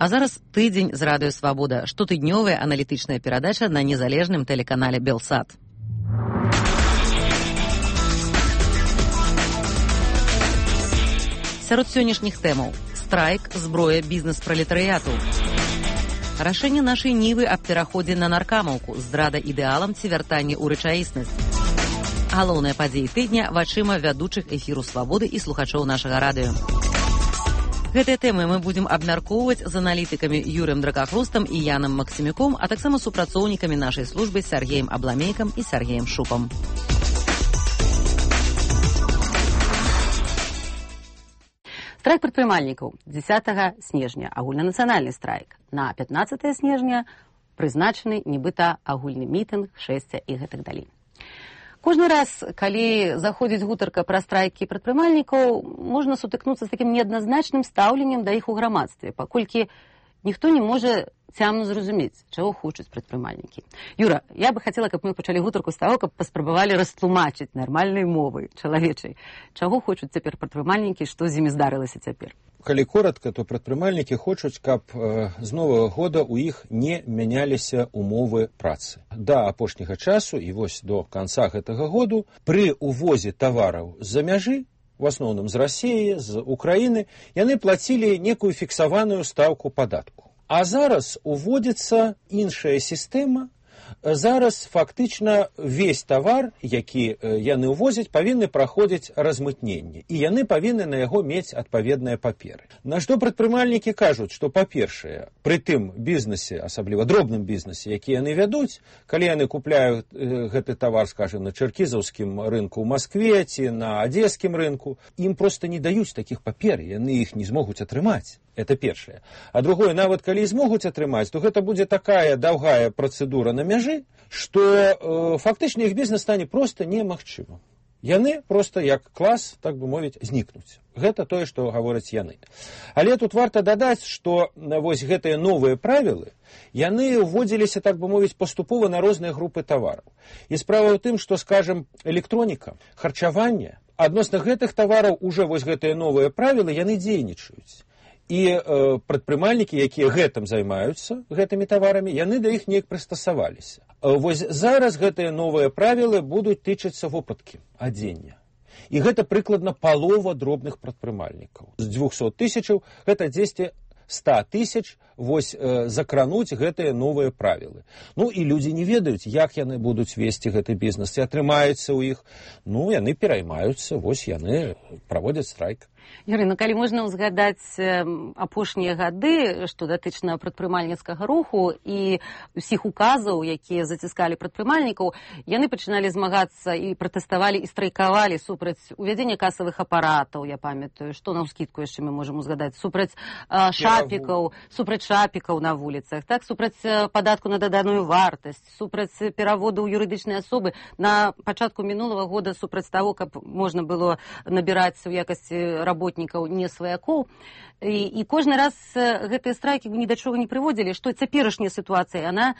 А зараз тыдзень з радыё «Свабода», штотыднёвая аналітычная перадача на незалежным тэлеканале «Белсат». Сярод сённяшніх тэмаў: страйк, зброя, бізнес пралетарыяту. Рашэнне нашай нівы аб пераходзе на наркамаўку, здрада ідэалам ці вяртанне ў рэчаіснасць. Галоўныя падзеі тыдня вачыма вядучых эфіру «Свабоды» і слухачоў нашага радыё. Гэтыя тэмы мы будзем абмяркоўваць з аналітыкамі Юрыем Дракахрустам і Янам Максімюком, а таксама супрацоўнікамі нашай службы Сергеем Абламейкам і Сергеем Шупам. Страйк прадпрымальнікаў 10 снежня, агульнанацыянальны страйк. На 15 снежня прызначаны нібыта агульны мітынг, шэсця і гэтак далей. Кожны раз, калі заходзіць гутарка пра страйкі прадпрымальнікаў, можна сутыкнуцца з такім неадназначным стаўленнем да іх у грамадстве, паколькі ніхто не можа цямна зразумець, чаго хочуць прадпрымальнікі. Юра, я бы хацела, каб мы пачалі гутарку з таго, каб паспрабавалі растлумачыць нармальнай мовай чалавечай, чаго хочуць цяпер прадпрымальнікі, што з імі здарылася цяпер. Калі коротка, то прадпрымальнікі хочуць, каб з новага года ў іх не мяняліся умовы працы. Да апошняга часу і вось до канца гэтага году пры увозе тавараў з-за мяжы, в асноўным з Расіі, з Украіны, яны плацілі некую фіксаваную стаўку падатку. А зараз уводзіцца іншая сістэма. Зараз фактычна весь тавар, які яны ўвозяць, павінны праходзіць размытненне. І яны павінны на яго мець адпаведныя паперы. На што прадпрымальнікі кажуць, што, па-першае, пры тым бізнесе, асабліва дробным бізнесе, які яны вядуць, калі яны купляюць гэты тавар, скажем, на чэркізаўскім рынку ў Маскве ці на адзескім рынку, ім проста не даюць такіх папер, яны іх не змогуць атрымаць. Это першае. А другое, нават калі змогуць атрымаць, то гэта будзе такая даўгая працэдура на мяжы, што фактычна іх бізнес стане проста немагчымым. Яны проста як клас, так бы мовіць, знікнуць. Гэта тое, што гавораць яны. Але тут варта дадаць, што вось гэтыя новыя правілы, яны ўводзіліся, так бы мовіць, паступова на розныя групы тавараў. І справа ў тым, што, скажем, электроніка, харчаванне, адносна гэтых тавараў уже вось гэтыя новыя правілы, яны дзейнічаюць. І прадпрымальнікі, якія гэтым займаюцца, гэтымі таварамі, яны да іх неяк прыстасаваліся. Вось зараз гэтыя новыя правілы будуць тычыцца вопраткі, адзення. І гэта прыкладна палова дробных прадпрымальнікаў. З 200 тысячаў гэта 100 тысяч вось закрануць гэтыя новыя правілы. Ну і людзі не ведаюць, як яны будуць весці гэты бізнес, ці атрымаецца ў іх. Ну, яны пераймаюцца, вось яны праводзяць страйк. Юрый, калі можна ўзгадаць апошнія гады, што датычна прадпрымальніцкага руху і ўсіх указаў, якія заціскалі прадпрымальнікаў, яны пачыналі змагацца і пратэставалі і страйкавалі супраць увядзення касавых апаратаў, я памятаю, што на ўскідку яшчэ мы можам узгадаць, супраць шапікаў, на вуліцах, так, супраць падатку на даданую вартасць, супраць пераводу ў юрыдычныя асобы. На пачатку мінулага года супраць таго, каб можна было набіраць у якасці работнікаў не сваякоў. І кожны раз гэтыя страйкі ні да чого не прыводзілі, што цяперашняя сітуацыя, яна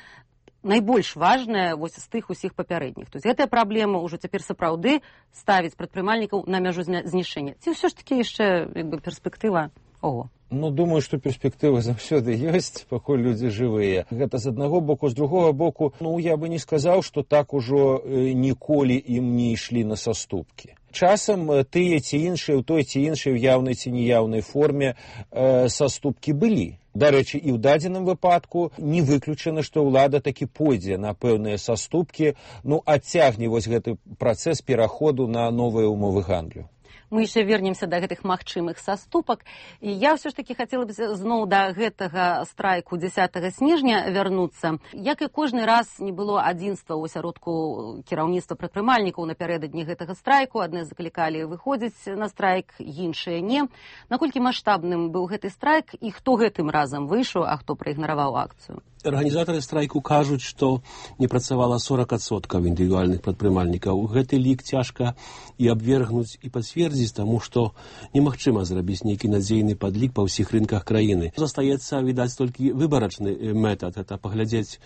найбольш важная вось з тых усіх папярэдніх. То есть гэтая праблема ўжо цяпер сапраўды ставіць прадпрымальнікаў на мяжу знішчэння. Ці ўсё ж такі яшчэ перспектыва? Ого. Ну, думаю, што перспектыва заўсёды ёсць, пакуль людзі жывыя. Гэта з аднаго боку, з другога боку, ну, я бы не сказаў, што так ужо ніколі ім не ішлі на саступкі. Часам тыя ці іншыя, у той ці іншай, у яўнай ці неяўнай форме саступкі былі. Дарэчы, і ў дадзеным выпадку не выключана, што ўлада такі пойдзе на пэўныя саступкі, ну, адцягне вось гэты працэс пераходу на новыя умовы гандлю. Мы яшчэ вернемся да гэтых магчымых саступак. І я ўсё ж такі хацела б зноў да гэтага страйку 10 снежня вярнуцца. Як і кожны раз не было адзінства ў асяродку кіраўніцтва прадпрымальнікаў напярэдадні гэтага страйку. Адны заклікалі выходзіць на страйк, іншыя не. Наколькі маштабным быў гэты страйк і хто гэтым разам выйшаў, а хто праігнараваў акцыю? Арганізатары страйку кажуць, што не працавала 40% індывідуальных прадпрымальнікаў. Гэты лік цяжка і абвергнуць, і пацвердзіць, таму што немагчыма зрабіць нейкі надзейны падлік па ўсіх рынках краіны. Застаецца, відаць, толькі выбарачны метад, это паглядзець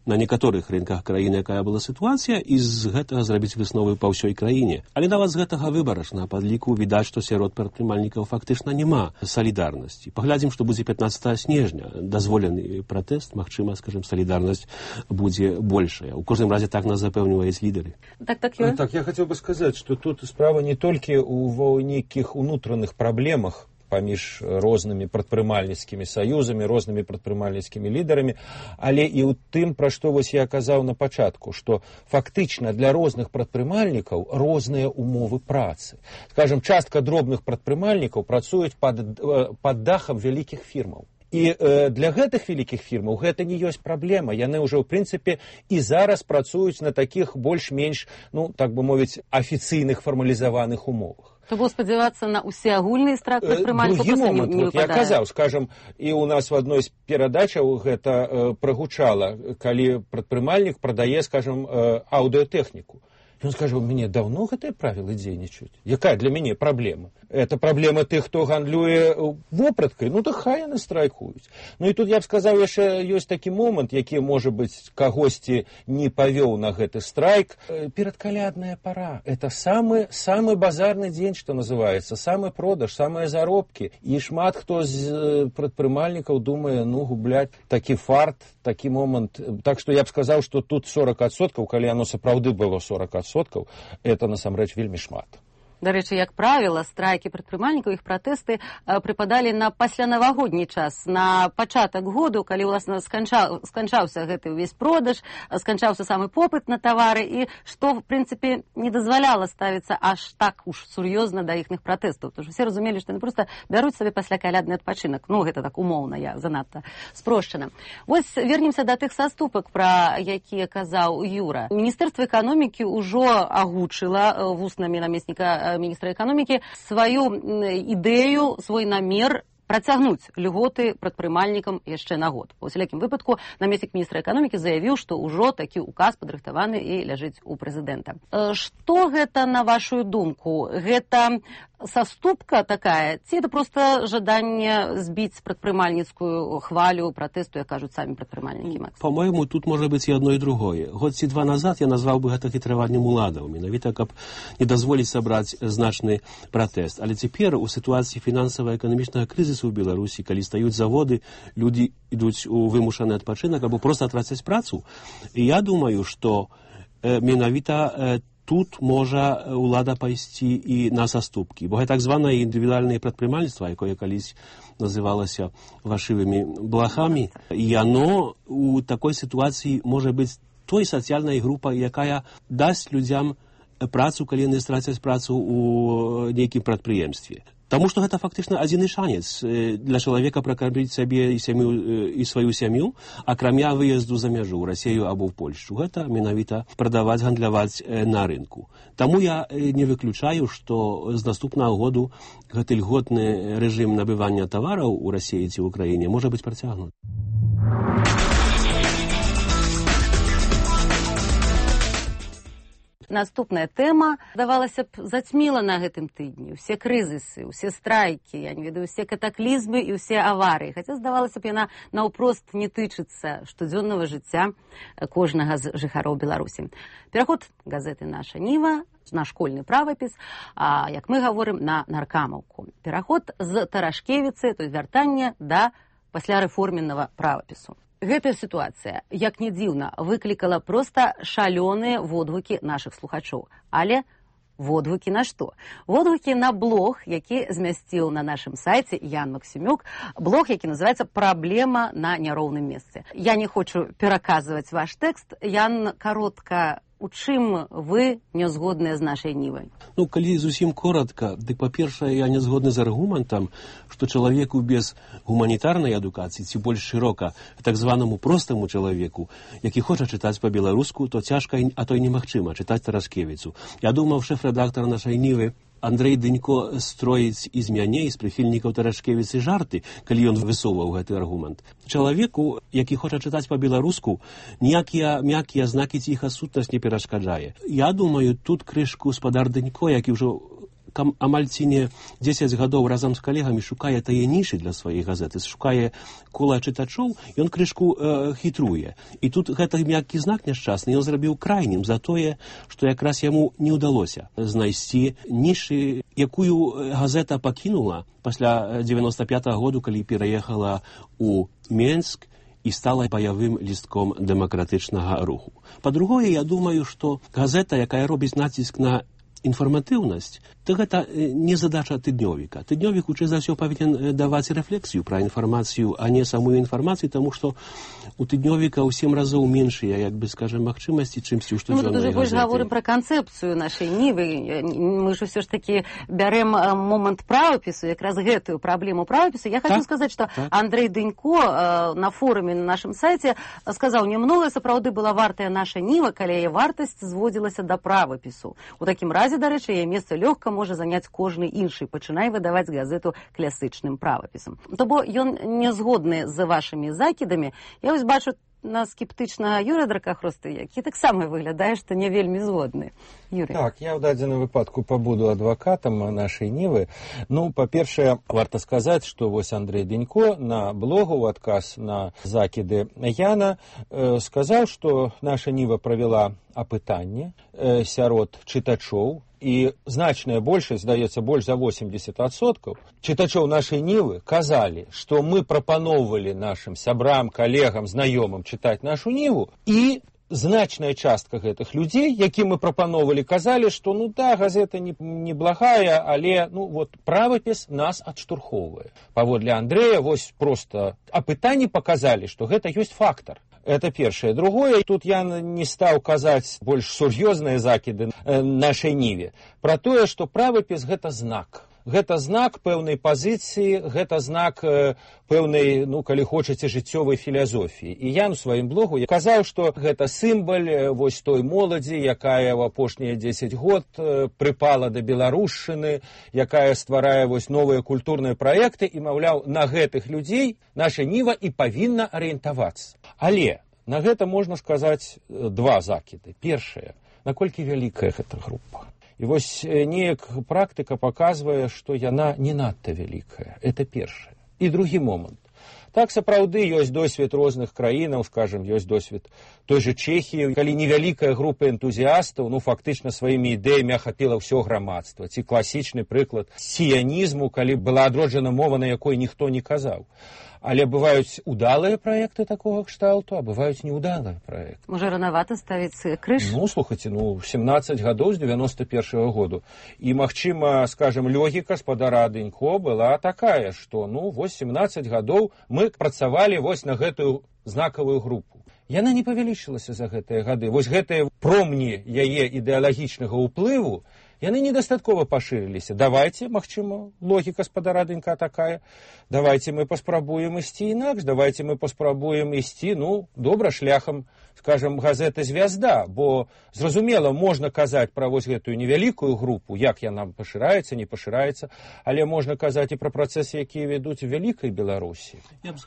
на некаторых рынках краіны, якая была сітуацыя, і з гэтага зрабіць высновы па ўсёй краіне. Але нават з гэтага выбарачна падліку відаць, што сярод прадпрымальнікаў фактычна няма салідарнасці. Паглядзім, што будзе 15 снежня. Дазволены пратэст, магчыма, скажем, солідарнасць будзе большая. У кожным разе так нас запэўніваюць лідары. Так, я хотел бы сказать, что тут справа не толькі ў нейкіх унутраных праблемах паміж рознымі прадпрымальніцкімі саюзамі, рознымі прадпрымальніцкімі лідарамі, але і ў тым, пра што вось я казаў на пачатку, што фактычна для розных прадпрымальнікаў розныя умовы працы. Скажем, частка дробных прадпрымальнікаў працуюць пад дахам вялікіх фірмаў. І для гэтых вялікіх фірмаў гэта не ёсць праблема. Яны ўжо, ў прынцыпе, і зараз працуюць на такіх больш-менш, так бы мовіць, афіцыйных фармалізаваных умовах. То было спадзявацца на ўсеагульны страх прадпрымальнікаў проста не выпадае. Я казаў, скажам, і ў нас в адной з перадачаў гэта прагучала, калі прадпрымальнік прадае, скажам, аўдыотэхніку. Ён скажа, у мяне даўно гэтыя правілы дзейнічаюць. Якая для мяне праблема? Это праблема тых, хто гандлюе вопраткай, то хай яны страйкуюць. І тут я б сказаў, яшчэ ёсць такі момант, які, можа быць, кагосьці не павёў на гэты страйк. Перадкалядная пара. Это самы базарны дзень, што называецца, самы продаж, самыя заробкі. І шмат хто з прадпрымальнікаў думае, губляць такі фарт, такі момант. Так што я б сказаў, што тут 40%, калі яно сапраўды было 40%, это насамрэч вельмі шмат. Дарэчы, як правіла, страйкі прадпрымальнікаў, іх пратэсты прыпадалі на паслянавагодні час, на пачатак году, калі, уласна, сканчаўся гэты ўвесь продаж, сканчаўся самы попыт на тавары, і што, в прынцыпе, не дазваляла ставіцца аж так уж сур'ёзна да іхных пратэстаў. Тому што все разумелі, што яны проста бяруць сабе паслякалядны адпачынак. Гэта так умоўна, я занадта спрошчана. Вось вернемся да тых саступак, пра якія казаў Юра. Міністэрства эканомікі ўжо агучыла вуснамі намесніка міністра эканомікі сваю ідэю, свой намер працягнуць льготы прадпрымальнікам яшчэ на год. У усялякім выпадку намеснік міністра эканомікі заявіў, што ўжо такі указ падрыхтаваны і ляжыць у прэзідэнта. Што гэта, на вашу думку? Гэта саступка такая, ці это проста жаданне збіць прадпрымальніцкую хвалю пратэсту, як кажуць самі прадпрымальнікі? По-моему, тут можа быць і одно, і другое. Год ці два назад я назваў бы гэта хітраваннем уладаў, менавіта каб не дазволіць сабраць значны пратэст. Але цяпер у сітуацыі фінансава-эканамічнага крызісу ў Беларусі, калі стаюць заводы, людзі ідуць у вымушаны адпачынак або проста трацяць працу. І я думаю, што менавіта тут можа ўлада пайсці і на саступкі. Бо гэта так званае індывідуальнае прадпрымальніцтва, якое калісь называлася вашывымі блахамі, і яно у такой сітуацыі можа быць той сацыяльнай групай, якая дасць людзям працу, калі яны страцяць працу ў нейкім прадпрыемстве. Таму што гэта фактычна адзіны шанец для чалавека пракарміць сабе і сваю сям'ю, акрамя выезду за мяжу ў Расію або ў Польшчу. Гэта менавіта прадаваць, гандляваць на рынку. Таму я не выключаю, што з наступнага году гэты льготны рэжым набывання тавараў у Расіі ці ў Украіне можа быць працягнуты. Наступная тэма, здавалася б, зацьміла на гэтым тыдні. Усе крызісы, усе страйкі, я не ведаю, усе катаклізмы і усе аварыі. Хаця, здавалася б, яна наўпрост не тычыцца штодзённага жыцця кожнага з жыхароў Беларусі. Пераход газеты «Наша Ніва» на школьны правапіс, як мы гаворым, на наркамаўку. Пераход з Тарашкевіцы, то есть вяртанне да паслярэформеннага правапісу. Гэтая сітуацыя, як не дзіўна, выклікала проста шалёныя водгукі нашых слухачоў. Але водгукі на што? Водгукі на блог, які змясціў на нашым сайце Ян Максімюк, блог, які называецца «Праблема на няроўным месцы». Я не хочу пераказваць ваш тэкст. Ян, каротка, у чым вы не згодныя з нашай Нівай? Калі зусім коротка, дык, па-першае, я не згодны з аргументам, што чалавеку без гуманітарнай адукацыі, ці больш шырока, так званаму простаму чалавеку, які хоча чытаць па-беларуску, то цяжка, а то і немагчыма чытаць Тарашкевіцу. Я думаў, шэф-рэдактар нашай Нівы Андрэй Дынько строіць з мяне, з прыхільнікаў Тарашкевіцы жарты, калі ён высоўваў гэты аргумент. Чалавеку, які хоча чытаць па-беларуску, ніякія мяккія знакі ціха сутнасць не перашкаджае. Я думаю, тут крышку спадар Дынько, які ўжо амаль ці не 10 гадоў разам з калегамі шукае тае нішы для сваёй газеты, шукае кола чытачоў, ён крышку хітруе. І тут гэты мяккі знак няшчасны ён зрабіў крайнім за тое, што якраз яму не ўдалося знайсці нішы, якую газета пакінула пасля 95-го году, калі пераехала ў Менск і стала баявым лістком дэмакратычнага руху. Па-другое, я думаю, што газета, якая робіць націск на інфарматыўнасць, то гэта не задача тыднёвіка. Тыднёвік хутчэй за ўсё павінен даваць рэфлексію пра інфармацыю, а не самую інфармацыю, таму што у тыднёвіка ў 7 разоў меншыя, як бы, скажем, магчымасці, чымсьці ў штодзённай газеты. Мы тут уже больш гаворым пра канцэпцыю нашай нівы. Мы ж усё ж такі бярем момант правапісу, якраз гэтую праблему правапісу. Я хочу сказаць, што Андрэй Дынько на форуме на нашым сайце сказаў, немногое сапраўды была вартая наша ніва, калі яе вартасць зводзілася да правапісу. У такім разе, дарэчы, яе месца лёгка можа заняць кожны іншы, пачынае выдаваць газету класычным правапісам. То бо ён не згодны з вашымі закідамі. Я вось бачу на скептычнага Юрыя Дракахросты, які таксама выглядае, што не вельмі згодны. Юрый. Так, я ў дадзеным выпадку пабуду адвакатам нашай нівы. Ну, па-першае, варта сказаць, што вось Андрэй Дынько на блогу ў адказ на закіды Яна сказаў, што наша ніва правяла апытанне сярод чытачоў, і значная большасць, здаецца, больш за 80% чытачоў нашай нівы казалі, што мы прапаноўвалі нашым сябрам, калегам, знаёмым чытаць нашу ніву, і значная частка гэтых людзей, якім мы прапаноўвалі, казалі, што ну да, газета неблагая, але ну вот правапіс нас адштурхоўвае. Паводле Андрэя вось проста апытанні паказалі, што гэта ёсць фактар. Это першае. Другое, тут я не стаў казаць больш сур'ёзныя закіды нашай ніве пра тое, што правапіс гэта знак. Гэта знак пэўнай пазіцыі, гэта знак пэўнай, ну, калі хочаце, жыццёвай філазофіі. І я ў сваім блогу казаў, што гэта сімвал вось той моладзі, якая ў апошнія 10 год прыпала да беларушчыны, якая стварае вось новыя культурныя праекты, і, маўляў, на гэтых людзей наша ніва і павінна арыентавацца. Але на гэта можна сказаць два закіды. Першае, наколькі вялікая гэта група. І вось неяк практыка паказвае, што яна не надта вялікая. Это першае. І другі момант. Так, сапраўды, ёсць досвед розных краінаў, скажем, ёсць досвед той же Чэхіі, калі невялікая група энтузіастаў, ну, фактычна сваімі ідэямі ахапіла ўсё грамадства. Ці класічны прыклад сіянізму, калі была адроджана мова, на якой ніхто не казаў. Але бываюць удалыя праекты такога кшталту, а бываюць неудалыя праекты. Можа, ранавата ставіць крыж? Ну, слухайце, 17 гадоў з 91-го году. І, магчыма, скажем, логіка спадара Дынько была такая, што, ну, вось 17 гадоў мы працавалі вось на гэтую знакавую групу. Яна не павялічылася за гэтыя гады. Вось гэтыя промні яе ідэалагічнага ўплыву, яны недастаткова пашырыліся. Давайце, магчыма, логіка спадара Дынька такая, давайце мы паспрабуем ісці інакш, давайце мы паспрабуем ісці, ну, добра, шляхам, скажем, газеты «Звязда», бо, зразумела, можна казаць пра вось гэтую невялікую групу, як яна пашыраецца, не пашыраецца, але можна казаць і пра працэсы, якія вядуць у вялікай Беларусі.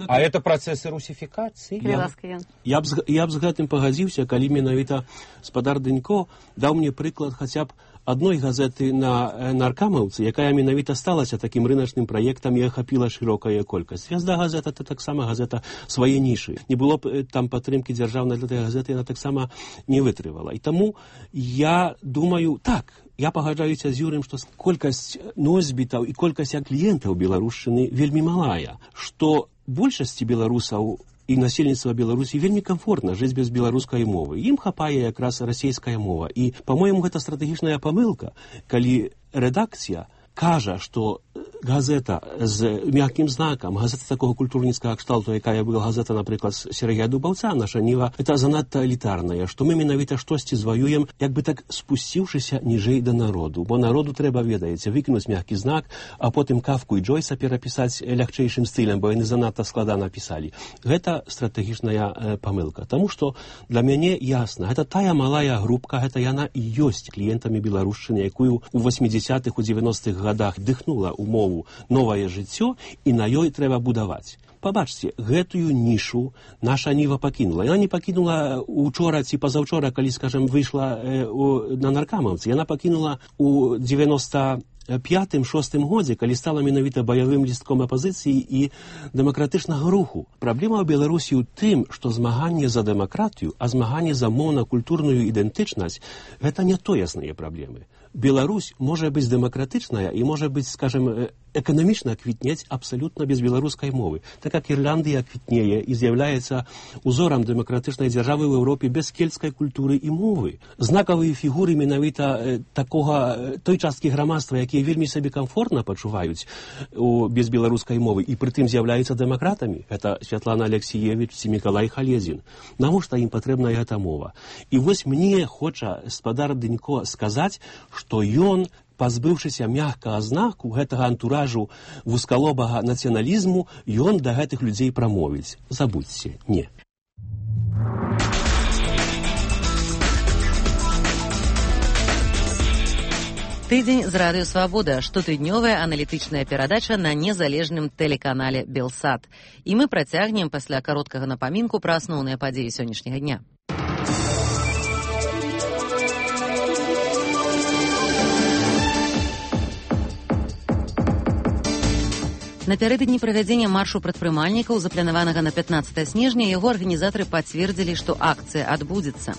А это працэсы русіфікацыі. Я б з гэтым пагадзіўся, калі менавіта спадар Дынько даў мне прыклад хаця б адной газеты на наркамаўцы, якая менавіта сталася такім рыначным праектам і ахапіла шырокая колькасць. «Звязда» газета — это таксама газета свае нішы. Не было б там падтрымкі дзяржаўнай для гэтай газеты, яна таксама не вытрывала. І таму я думаю, так, я пагаджаюся з Юрым, што колькасць носьбітаў і колькасць кліентаў беларушчыны вельмі малая, што большасці беларусаў і насельніцтва Беларусі вельмі комфортна жыць без беларускай мовы. Ім хапае якраз расійская мова. І, па-моему, гэта стратэгічная памылка, калі рэдакцыя кажа, што газета з мяккім знакам, газета такого культурніцкага кшталту, якая была газета, напрыклад, Сергея Дубаўца, наша ніва, это занадта элітарная, што мы менавіта штосьці зваюем, як бы так спусціўшыся ніжэй да народу. Бо народу трэба, ведаеце, выкінуць мяккі знак, а потым Кафку і Джойса перапісаць лягчэйшым стылем, бо яны занадта складана пісалі. Гэта стратэгічная памылка. Таму што для мяне ясна, гэта тая малая групка, гэта яна і ёсць кліентамі беларушчыны, якую ў 80-х, у 90-х гадах дыхнула ў мову новае жыццё, і на ёй трэба будаваць. Пабачце, гэтую нішу наша ніва пакінула. Яна не пакінула учора ці пазаўчора, калі, скажем, выйшла на наркамаўцы. Яна пакінула у 91 5-6 годзе, калі стала менавіта баявым лістком апазіцыі і дэмакратычнага руху. Праблема ў Беларусі ў тым, што змаганне за дэмакратыю, а змаганне за моўна-культурную ідэнтычнасць – гэта не тоесныя праблемы. Беларусь можа быць дэмакратычная і можа быць, скажем, эканамічна квітнець абсалютна без беларускай мовы. Так як Ірландыя квітнее і з'яўляецца узорам дэмакратычнай дзяржавы ў Еўропе без кельцкай культуры і мовы. Знакавыя фігуры менавіта той часткі грамадства, якія вельмі сабе камфортна пачуваюць без беларускай мовы і прытым з'яўляюцца дэмакратамі. Гэта Святлана Алексіевіч ці Мікалай Халезін. Навошта ім патрэбна гэта мова? І вось мне хоча спадар Дынько сказаць, што ён, пазбыўшыся мяккага знаку гэтага антуражу вузкалобага нацыяналізму, ён да гэтых людзей прамовіць. Забудзьце, не. Тыдзень з радыё «Свабода» – штотыднёвая аналітычная перадача на незалежным тэлеканале «Белсат». І мы працягнем пасля кароткага напамінку пра асноўныя падзеі сённяшняга дня. Напярэдадні правядзення маршу прадпрымальнікаў, запланаванага на 15 снежня, яго арганізатары пацвердзілі, што акцыя адбудзецца.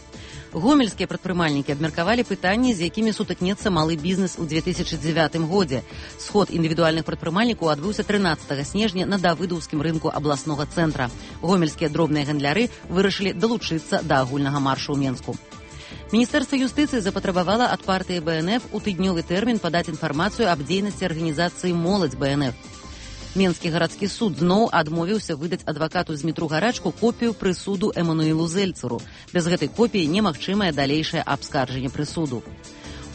Гомельскія прадпрымальнікі абмеркавалі пытанні, з якімі сутыкнецца малы бізнес у 2009 годзе. Сход індывідуальных прадпрымальнікаў адбыўся 13 снежня на Давыдаўскім рынку абласнога цэнтра. Гомельскія дробныя гандляры вырашылі далучыцца да агульнага маршу ў Менску. Міністэрства юстыцыі запатрабавала ад партыі БНФ у тыднёвы тэрмін падаць інфармацыю аб дзейнасці арганізацыі «Моладзь БНФ». Менскі гарадскі суд зноў адмовіўся выдаць адвакату Змітру Гарачку копію прысуду Эмануілу Зельцеру. Без гэтай копіі немагчымае далейшае абскарджанне прысуду.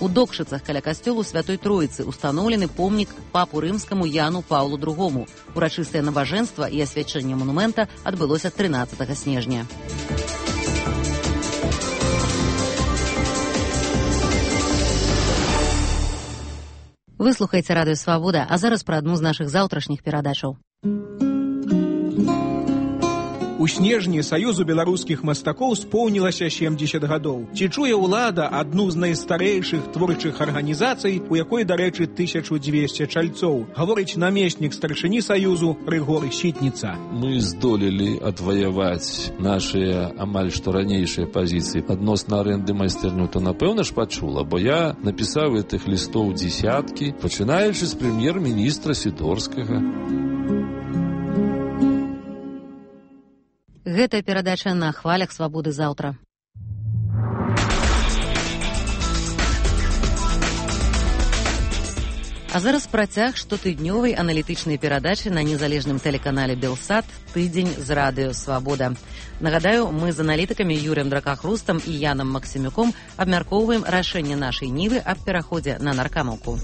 У Докшыцах каля касцёлу Святой Троіцы устаноўлены помнік папу рымскаму Яну Паўлу II. Урачыстае набажэнства і асвячэнне манумента адбылося 13 снежня. Вы слухаеце радыё «Свабода», а зараз пра адну з нашых заўтрашніх перадачаў. У снежні Саюзу беларускіх мастакоў споўнілася 70 гадоў. Ці чуе ўлада адну з найстарэйшых творчых арганізацый, у якой, дарэчы, 1200 чальцоў, гаворыць намеснік старшыні Саюзу Рыгор Сітніца. Мы здолелі адваяваць нашыя амаль што ранейшыя пазіцыі адносна арэнды майстэрню, то напэўна ж пачула, бо я напісаў гэтых лістоў дзесяткі, пачынаючы з прэм'ер-міністра Сідорскага. Гэтая перадача на хвалях «Свабоды» заўтра. А зараз працяг штотыднёвай аналітычнай перадачы на незалежным тэлеканале «Белсат» «Тыдзень з радыё «Свабода». Нагадаю, мы з аналітыкамі Юрыем Дракахрустам і Янам Максімюком абмяркоўваем рашэнне нашай Нівы аб пераходзе на наркамаўку.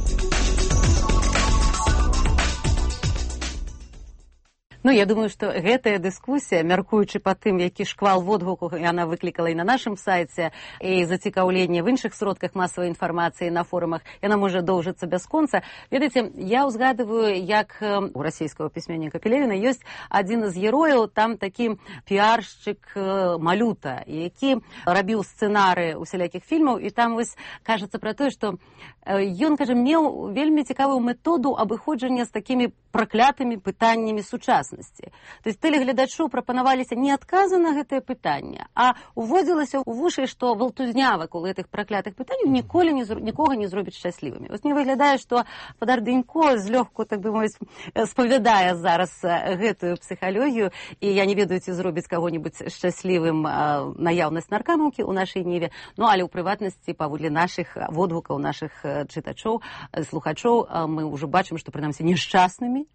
Ну, я думаю, што гэтая дыскусія, мяркуючы па тым, які шквал водгуку яна выклікала і на нашым сайце, і зацікаўленне в іншых сродках масавай інфармацыі на форумах, яна можа доўжыцца бясконца. Ведаеце, я ўзгадываю, як у расійскага пісьменніка Пелевіна ёсць адзін з герояў, там такі піаршчык Малюта, які рабіў сцэнары усялякіх фільмаў, і там вось кажацца пра тое, што ён, кажа, меў вельмі цікавую методу абыходжання з такімі праклятымі пытаннямі сучаснасці. То есть тэлегледачу прапанаваліся не адказы на гэтае пытанне, а уводзілася ў вушы, што валтузня вакол гэтых праклятых пытанняў ніколі нікога не зробіць шчаслівымі. Вось мне выглядае, што спадар Дынько злёгку, так бы мовіць, спавядае зараз гэтую псіхалогію, і я не ведаю, ці зробіць каго-небудзь шчаслівым наяўнасць наркамаўкі ў нашай Ніве, ну, але ў прыватнасці, паводле нашых водгукаў, нашых чытачоў, слухачоў, мы ўжо бачым, што, прынамсі, нешчаснымі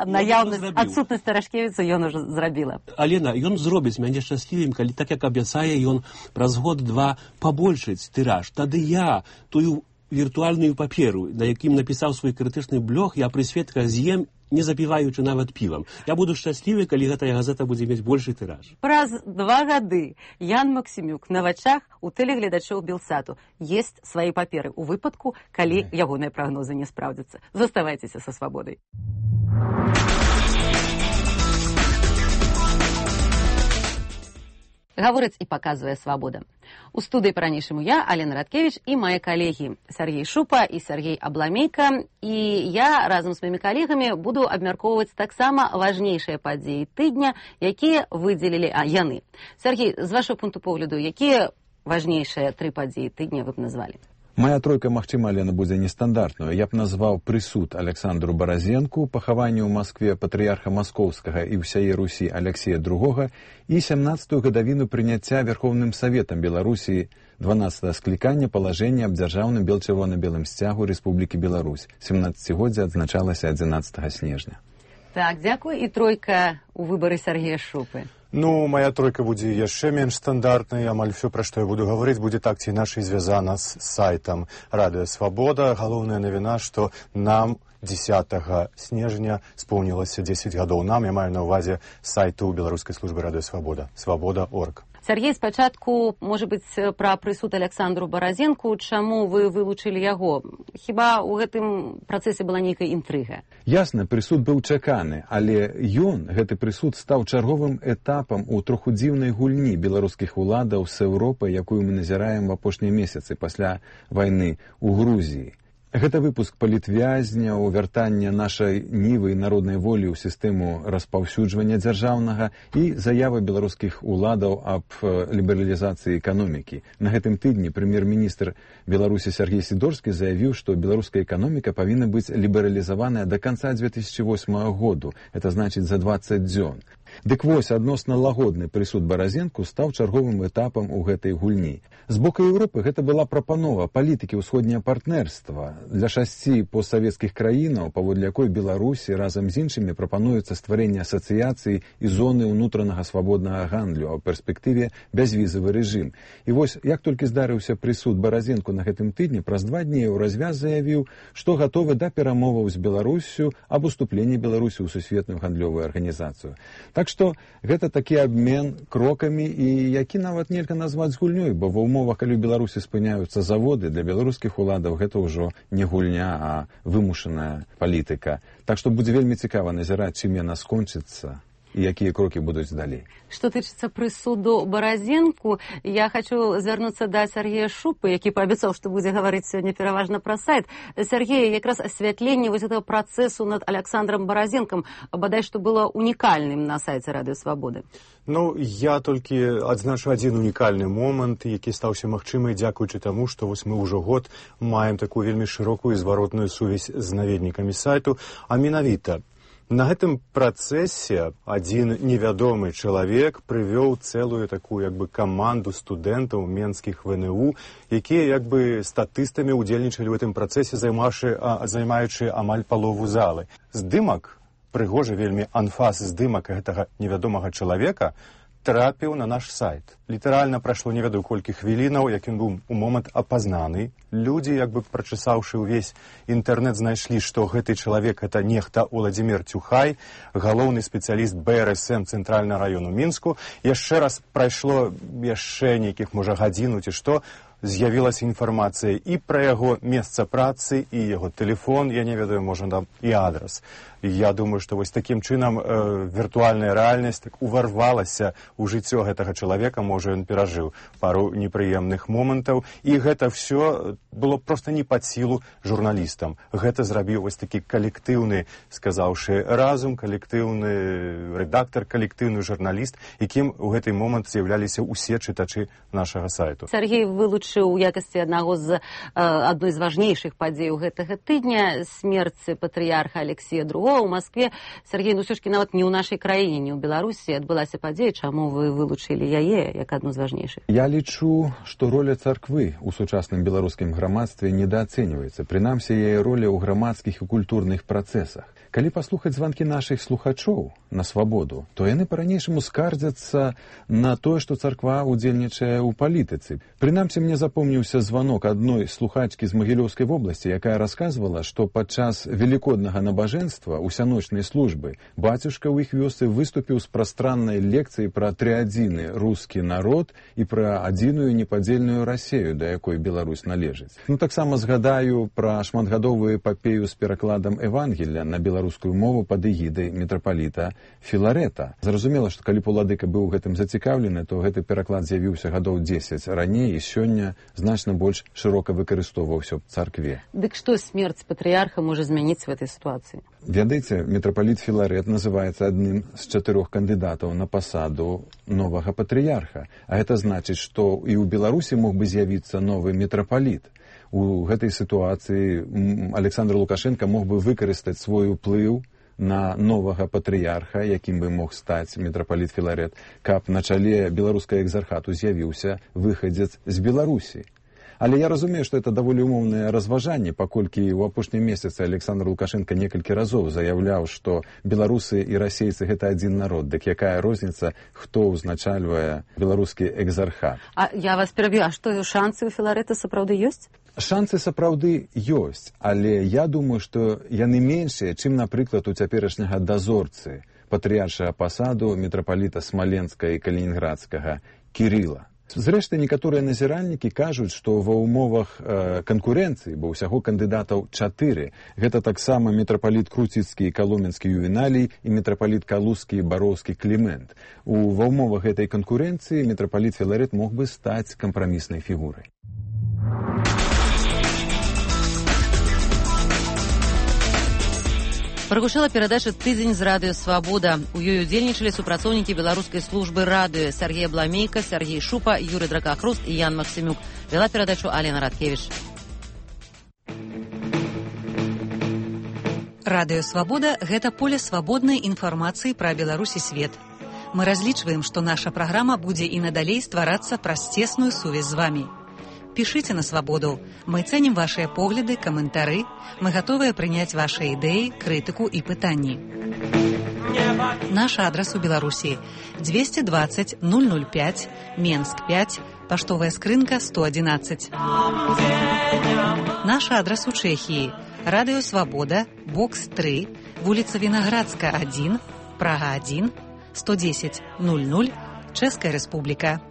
наяўнасць, адсутнасць Тарашкевіца ён ужо зрабіла. Алена, ён зробіць мяне шчаслівым, калі, так як абяцае, ён праз год-два пабольшыць тыраж. Тады я тую віртуальную паперу, на якім напісаў свой крытычны блог, я пры сведках з'ем, не запіваючы нават півам. Я буду шчаслівы, калі гэтая газета будзе мець большы тыраж. Праз 2 гады Ян Максімюк на вачах у тэлегледачоў Белсату есць свае паперы ў выпадку, калі ягоныя прагнозы не спраўдзяцца. Заставайцеся са свабодай. Гаворыць і паказвае «Свабода». У студыі па-ранейшаму я, Алена Радкевіч, і мае калегі Сергей Шупа і Сергей Абламейка. І я разам з маімі калегамі буду абмяркоўваць таксама важнейшыя падзеі тыдня, якія выдзелілі яны. Сергей, з вашого пункту погляду, якія важнейшыя 3 падзеі тыдня вы б назвалі? Моя тройка, магчыма, Алена, будзе нестандартную. Я б назваў прысуд Александру Баразенку, пахаванне ў Маскве патрыярха Маскоўскага і ўсяе Русі Алексея II і 17-ю гадавіну прыняцця Верховным Саветам Беларусі 12-го склікання палажэння аб дзяржаўным бел-чырвона-белым сцягу Рэспублікі Беларусь. 17-годдзе адзначалася 11 снежня. Так, дзякуй. І тройка у выбары Сергея Шупы. Ну, моя тройка будзе яшчэ менш стандартнай. Амаль все, пра што я буду гаварыць, будзе так ці інакш звязана з сайтам Радыё Свабода. Галоўная навіна, што нам 10 снежня споўнілася 10 гадоў. Нам, я маю на ўвазе сайту беларускай службы Радыё Свабода, свабода.орг. Сергей, спачатку, можа быць, пра прысуд Александру Баразенку. Чаму вы вылучылі яго? Хіба ў гэтым працэсе была нейкая інтрыга? Ясна, прысуд быў чаканы, але гэты прысуд стаў чарговым этапам у троху дзіўнай гульні беларускіх уладаў з Еўропай, якую мы назіраем в апошнія месяцы пасля вайны ў Грузіі. Гэта выпуск палітвязняў, вяртання нашай нівы і народнай волі ў сістэму распаўсюджвання дзяржаўнага і заявы беларускіх уладаў аб лібералізацыі эканомікі. На гэтым тыдні прэм'ер-міністр Беларусі Сергей Сідорскі заявіў, што беларуская эканоміка павінна быць лібералізаваная да канца 2008 году. Это значыць за 20 дзён. Дык вось, адносна лагодны прысуд Баразенку стаў чарговым этапам у гэтай гульні. З боку Еўропы гэта была прапанова палітыкі ўсходняе партнерства для 6 постсавецкіх краінаў, паводле якой Беларусі разам з іншымі прапануецца стварэнне асацыяцыі і зоны ўнутранага свабоднага гандлю, а ў перспектыве бязвізавы рэжым. І вось, як толькі здарыўся прысуд Баразенку на гэтым тыдні, праз 2 дні Еўразвяз заявіў, што гатовы да перамоваў з Беларуссю аб уступленні Беларусі ў сусветную гандлёвую арганізацыю. Так што гэта такі абмен крокамі, і які нават нельга назваць гульнёй, бо ва умовах, калі ў Беларусі спыняюцца заводы, для беларускіх уладаў гэта ўжо не гульня, а вымушаная палітыка. Так што будзе вельмі цікава назіраць, чым яна скончыцца і якія крокі будуць далей. Што тычыцца прысуду Баразенку, я хочу звярнуцца да Сергея Шупы, які паабяцаў, што будзе гаварыць сёння пераважна пра сайт. Сергей, якраз асвятленне вось гэтага працэсу над Александром Баразенкам бадай што было унікальным на сайце Радыё Свабоды. Ну, я толькі адзначу адзін унікальны момант, які стаўся магчымай дзякуючы таму, што вось мы ўжо год маем такую вельмі шырокую зваротную сувязь з наведнікамі сайту, а менавіта на гэтым працэсе адзін невядомы чалавек прывёў цэлую такую каманду студэнтаў менскіх ВНУ, якія статыстамі ўдзельнічалі ў гэтым працэсе, займаючы амаль палову залы. Здымак, прыгожы вельмі анфас здымак гэтага невядомага чалавека трапіў на наш сайт. Літаральна прайшло не ведаю колькі хвілінаў, як ён быў у момант апазнаны. Людзі, прачысаўшы ўвесь інтэрнэт, знайшлі, што гэты чалавек гэта нехта Уладзімір Цюхай, галоўны спецыяліст БРСМ цэнтральнага раёну Мінску. Яшчэ раз прайшло яшчэ нейкіх, можа, гадзіну ці што, з'явілася інфармацыя і пра яго месца працы, і яго тэлефон, я не ведаю, можа, там і адрас. Я думаю, што вось такім чынам віртуальная рэальнасць уварвалася ў жыццё гэтага чалавека, можа, ён перажыў пару непрыемных момантаў, і гэта ўсё было проста не пад сілу журналістам. Гэта зрабіў вось такі калектыўны, сказаўшы разум, калектыўны рэдактар, калектыўны журналіст, якім у гэты момант з'яўляліся ўсе чытачы нашага сайту. Сергей вылучыў у якасці адной з важнейшых падзеяў гэтага тыдня смерць патрыярха Алексея II у Маскве. Сергей, ну ўсё-таки нават не ў нашай краіне, не ў Беларусі адбылася падзея. Чаму вы вылучылі яе як адну з важнейшых? Я лічу, што роля царквы ў сучасным беларускім грамадстве недаацэньваецца. Прынамсі, яе роля ў грамадскіх і культурных працэсах. Калі паслухаць званкі нашых слухачоў на свабоду, то яны па-ранейшаму скардзяцца на тое, што царква ўдзельнічае ў палітыцы. Прынамсі, мне запомніўся званок адной слухачкі з Магілёўскай вобласці, якая расказвала, што падчас велікоднага набажэнства усяночнай службы бацюшка ў іх вёсцы выступіў з прастраннай лекцыяй пра трыадзіны рускі народ і пра адзіную непадзельную Расею, да якой Беларусь належыць. Ну, таксама згадаю пра шматгадовую эпапею з перакладам Евангелля на беларускую беларускую мову пад эгідай мітрапаліта Філарэта. Зразумела, што калі б уладыка быў гэтым зацікаўлены, то гэты пераклад з'явіўся гадоў 10 раней і сёння значна больш шырока выкарыстоўваўся ў царкве. Дык што смерць патрыярха можа змяніць в этой сітуацыі? Ведаеце, мітрапаліт Філарэт называецца адным з 4 кандыдатаў на пасаду новага патрыярха. А гэта значыць, што і ў Беларусі мог бы з'явіцца новы мітрапаліт. У гэтай сітуацыі Александр Лукашенко мог бы выкарыстаць свой уплыў на новага патрыярха, якім бы мог стаць мітрапаліт Філарэт, каб на чале беларускага экзархату з'явіўся выхадзец з Беларусі. Але я разумею, што это даволі умоўнае разважанне, паколькі ў апошнім месяцы Александр Лукашенко некалькі разоў заяўляў, што беларусы і расейцы гэта адзін народ. Дык якая розніца, хто ўзначальвае беларускі экзархат? А я вас пераб'ю, а што шансы ў Філарэта сапраўды ёсць? Шансы сапраўды ёсць, але я думаю, што яны меншыя, чым, напрыклад, у цяперашняга дазорцы патрыяршага пасаду мітрапаліта Смаленска і Калінінградскага Кірыла. Зрэшты, некаторыя назіральнікі кажуць, што ва ўмовах канкурэнцыі, бо ўсяго кандыдатаў 4, гэта таксама мітрапаліт Круціцкі і Каломенскі Ювеналій і мітрапаліт Калузскі і Бароўскі Клімент. Ва ўмовах гэтай канкурэнцыі мітрапаліт Філарэт мог бы стаць кампраміснай фігурай. Прагучала перадача «Тыдзень з радыё Свабода». У ёй удзельнічалі супрацоўнікі беларускай службы радыё Сергей Бламейка, Сергей Шупа, Юрый Дракахруст і Ян Максимюк. Вела перадачу Алена Радкевіч. Радыё Свабода – гэта поле свабоднай інфармацыі пра Беларусь і свет. Мы разлічваем, што наша праграма будзе і надалей стварацца праз цесную сувязь з вамі. Пішыце на Свабоду. Мы цэнім вашыя погляды, каментары. Мы гатовыя прыняць вашыя ідэі, крытыку і пытанні. Наш адрас у Беларусі 220 005, Менск 5, паштовая скрынка 111. Наш адрас у Чэхіі Радыё Свабода, бокс 3, вуліца Вінаградска 1, Прага 1, 110 00, Чэшская Рэспубліка.